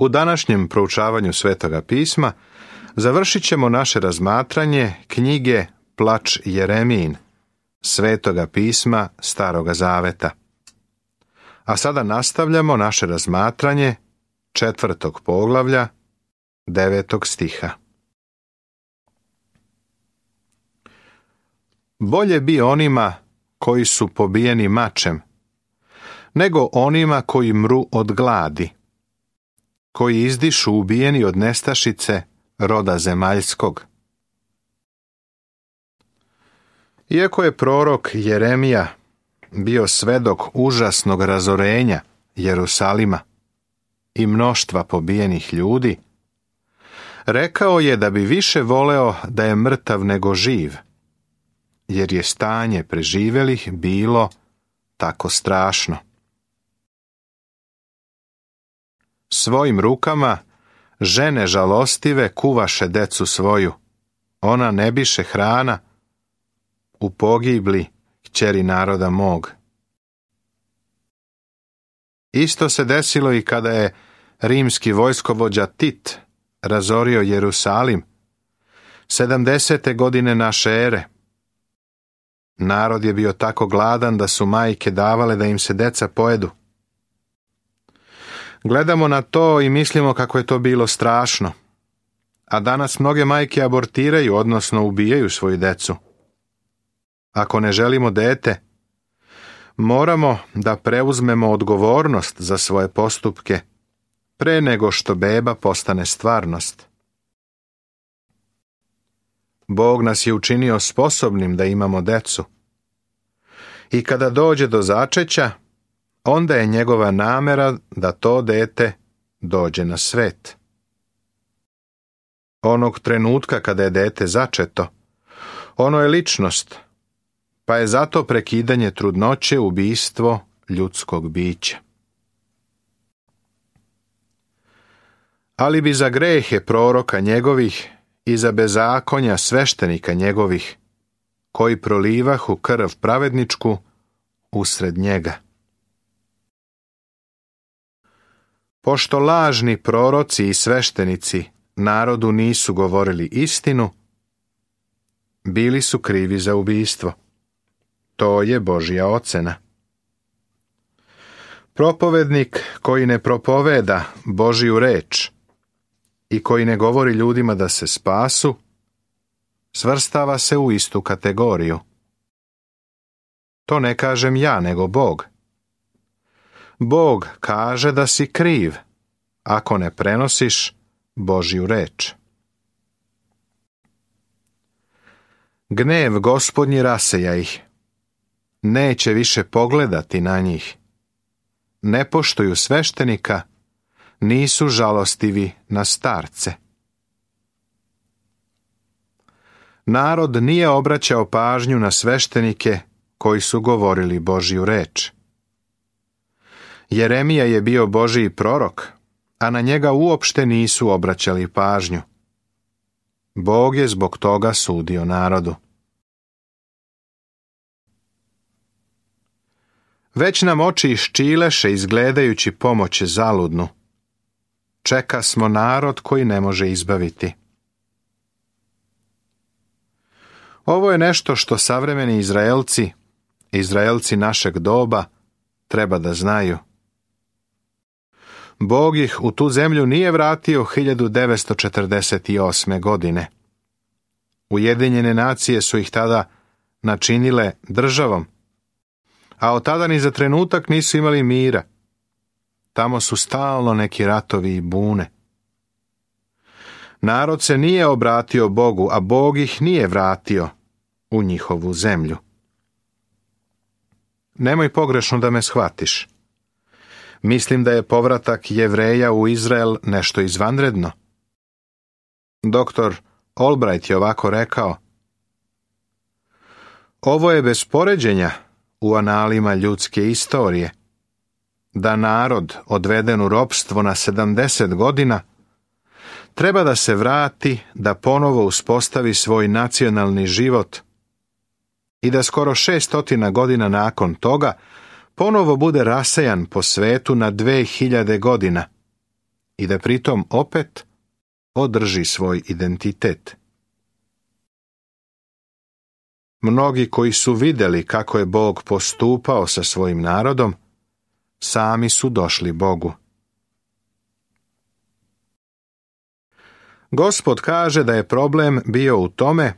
U današnjem proučavanju Svetoga pisma završit ćemo naše razmatranje knjige Plač Jeremijin, Svetoga pisma Staroga Zaveta. A sada nastavljamo naše razmatranje 4. poglavlja 9. stiha. Bolje bi onima koji su pobijeni mačem, nego onima koji mru od gladi, koji izdišu ubijeni od nestašice roda zemaljskog. Iako je prorok Jeremija bio svedok užasnog razorenja Jerusalima i mnoštva pobijenih ljudi, rekao je da bi više voleo da je mrtav nego živ, jer je stanje preživelih bilo tako strašno. Svojim rukama žene žalostive kuvaše decu svoju, ona ne biše hrana u pogibli kćeri naroda mog. Isto se desilo i kada je rimski vojskovođa Tit razorio Jerusalim 70. godine naše ere. Narod je bio tako gladan da su majke davale da im se deca pojedu. Gledamo na to i mislimo kako je to bilo strašno. A danas mnoge majke abortiraju, odnosno ubijaju svoju decu. Ako ne želimo dete, moramo da preuzmemo odgovornost za svoje postupke pre nego što beba postane stvarnost. Bog nas je učinio sposobnim da imamo decu. I kada dođe do začeća, onda je njegova namera da to dete dođe na svet. Onog trenutka kada je dete začeto, ono je ličnost, pa je zato prekidanje trudnoće ubistvo ljudskog bića. Ali bi za grehe proroka njegovih i za bezakonja sveštenika njegovih, koji prolivahu krv pravedničku usred njega. Pošto lažni proroci i sveštenici narodu nisu govorili istinu, bili su krivi za ubistvo. To je Božja ocena. Propovednik koji ne propoveda Božju reč i koji ne govori ljudima da se spasu, svrstava se u istu kategoriju. To ne kažem ja, nego Bog. Bog kaže da si kriv ako ne prenosiš Božju reč. Gnev Gospodnji raseja ih. Neće više pogledati na njih. Ne poštuju sveštenika, nisu žalostivi na starce. Narod nije obraćao pažnju na sveštenike koji su govorili Božju reč. Jeremija je bio Božji prorok, a na njega uopšte nisu obraćali pažnju. Bog je zbog toga sudio narodu. Već nam oči iščileše izgledajući pomoć zaludnu. Čeka smo narod koji ne može izbaviti. Ovo je nešto što savremeni Izraelci našeg doba, treba da znaju. Bog ih u tu zemlju nije vratio 1948. godine. Ujedinjene nacije su ih tada načinile državom, a od tada ni za trenutak nisu imali mira. Tamo su stalno neki ratovi i bune. Narod se nije obratio Bogu, a Bog ih nije vratio u njihovu zemlju. Nemoj pogrešno da me shvatiš. Mislim da je povratak Jevreja u Izrael nešto izvanredno. Dr. Albright je ovako rekao: ovo je bez poređenja u analima ljudske istorije, da narod odveden u ropstvo na 70 godina treba da se vrati, da ponovo uspostavi svoj nacionalni život i da skoro 600 godina nakon toga ponovo bude rasejan po svetu na 2000 godina i da pritom opet održi svoj identitet. Mnogi koji su vidjeli kako je Bog postupao sa svojim narodom, sami su došli Bogu. Gospod kaže da je problem bio u tome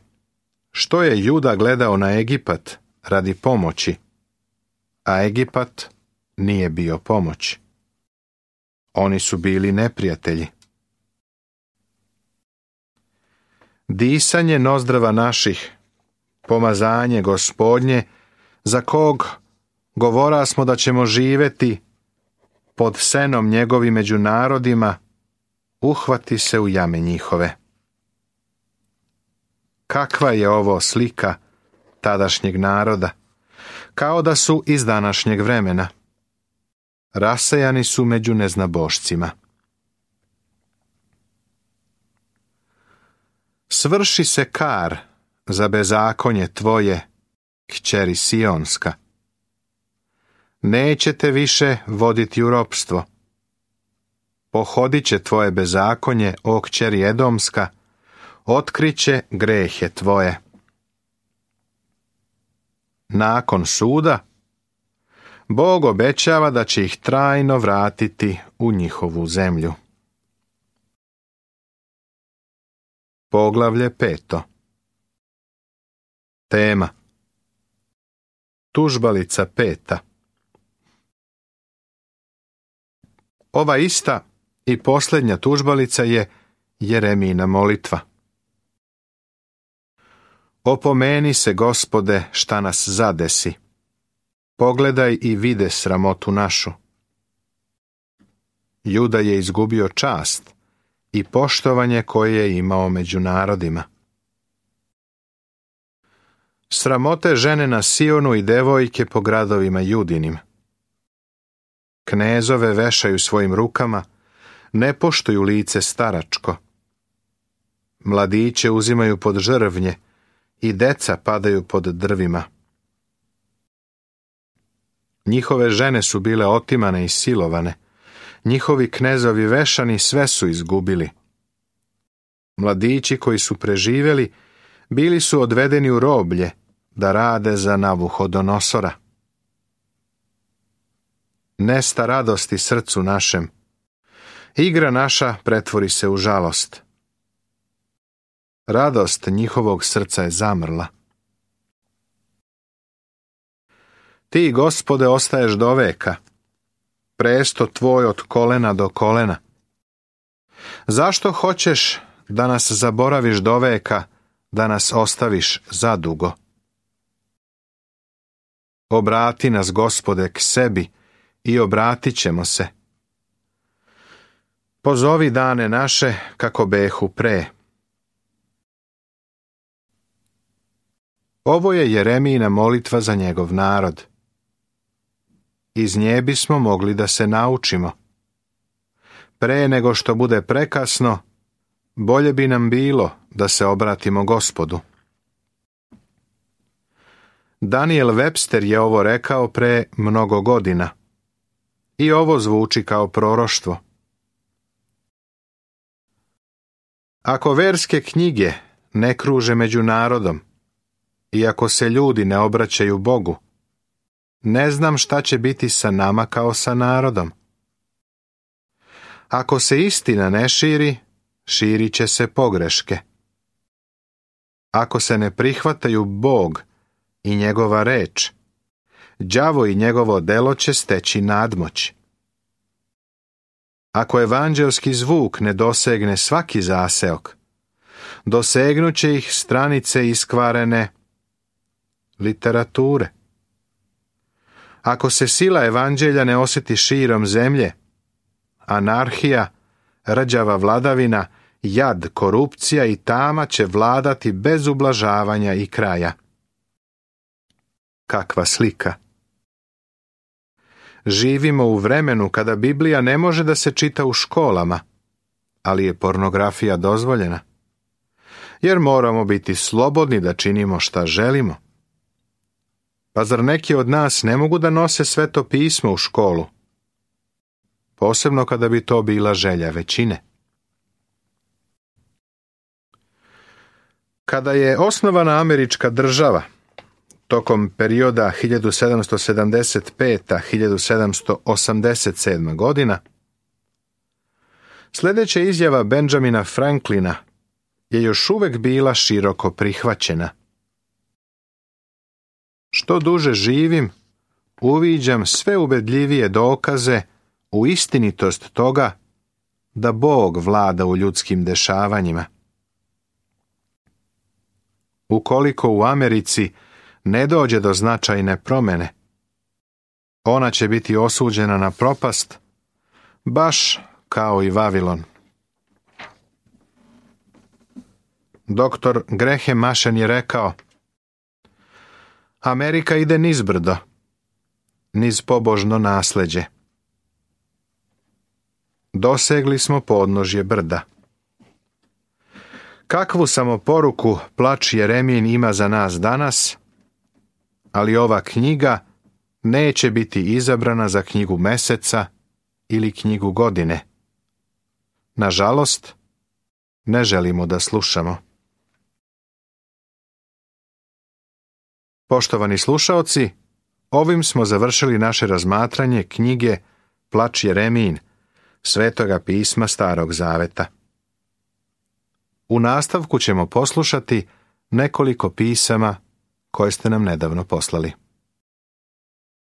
što je Juda gledao na Egipat radi pomoći, a Egipat nije bio pomoć. Oni su bili neprijatelji. Disanje nozdrava naših, pomazanje Gospodnje, za kog govora smo da ćemo živjeti pod senom njegovi među narodima, uhvati se u jame njihove. Kakva je ovo slika tadašnjeg naroda, kao da su iz današnjeg vremena. Rasejani su među neznabošcima. Svrši se kar za bezakonje tvoje, kćeri Sionska. Nećete više voditi u ropstvo. Pohodit će tvoje bezakonje, o kćeri Edomska, otkriće grehe tvoje. Nakon suda, Bog obećava da će ih trajno vratiti u njihovu zemlju. Poglavlje 5. Tema: Tužbalica 5. Ova ista i posljednja tužbalica je Jeremijina molitva. Opomeni se, Gospode, šta nas zadesi. Pogledaj i vide sramotu našu. Juda je izgubio čast i poštovanje koje je imao među narodima. Sramote žene na Sionu i devojke po gradovima Judinim. Knezove vešaju svojim rukama, ne poštuju lice staračko. Mladiće uzimaju pod žrvnje i deca padaju pod drvima. Njihove žene su bile otimane i silovane. Njihovi knezovi vešani sve su izgubili. Mladići koji su preživjeli bili su odvedeni u roblje da rade za Navuhodonosora. Nesta radosti srcu našem. Igra naša pretvori se u žalost. Radost njihovog srca je zamrla. Ti, Gospode, ostaješ do veka. Presto tvoj od kolena do kolena. Zašto hoćeš da nas zaboraviš do veka, da nas ostaviš zadugo? Obrati nas, Gospode, k sebi i obratit ćemo se. Pozovi dane naše kako behu pre. Ovo je Jeremijina molitva za njegov narod. Iz nje bismo mogli da se naučimo. Pre nego što bude prekasno, bolje bi nam bilo da se obratimo Gospodu. Daniel Webster je ovo rekao pre mnogo godina. I ovo zvuči kao proroštvo. Ako verske knjige ne kruže među narodom, i ako se ljudi ne obraćaju Bogu, ne znam šta će biti sa nama kao sa narodom. Ako se istina ne širi, širit će se pogreške. Ako se ne prihvataju Bog i njegova reč, đavo i njegovo delo će steći nadmoć. Ako evanđelski zvuk ne dosegne svaki zaseok, dosegnuće ih stranice iskvarene literature. Ako se sila evanđelja ne osjeti širom zemlje, anarhija, rđava vladavina, jad, korupcija i tama će vladati bez ublažavanja i kraja. Kakva slika! Živimo u vremenu kada Biblija ne može da se čita u školama, ali je pornografija dozvoljena. Jer moramo biti slobodni da činimo šta želimo. Pa zar neki od nas ne mogu da nose Sveto pismo u školu? posebno kada bi to bila želja većine. Kada je osnovana američka država, tokom perioda 1775-1787 godina, sljedeća izjava Benjamina Franklina je još uvijek bila široko prihvaćena. Što duže živim, uviđam sve ubedljivije dokaze u istinitost toga da Bog vlada u ljudskim dešavanjima. Ukoliko u Americi ne dođe do značajne promjene, ona će biti osuđena na propast, baš kao i Vavilon. Doktor Graham Machen je rekao: Amerika ide nizbrdo, niz pobožno nasljeđe. Dosegli smo podnožje brda. Kakvu samo poruku plač Jeremijin ima za nas danas, ali ova knjiga neće biti izabrana za knjigu meseca ili knjigu godine. Nažalost, ne želimo da slušamo. Poštovani slušaoci, ovim smo završili naše razmatranje knjige Plač Jeremijin, Svetoga pisma Starog Zaveta. U nastavku ćemo poslušati nekoliko pisama koje ste nam nedavno poslali.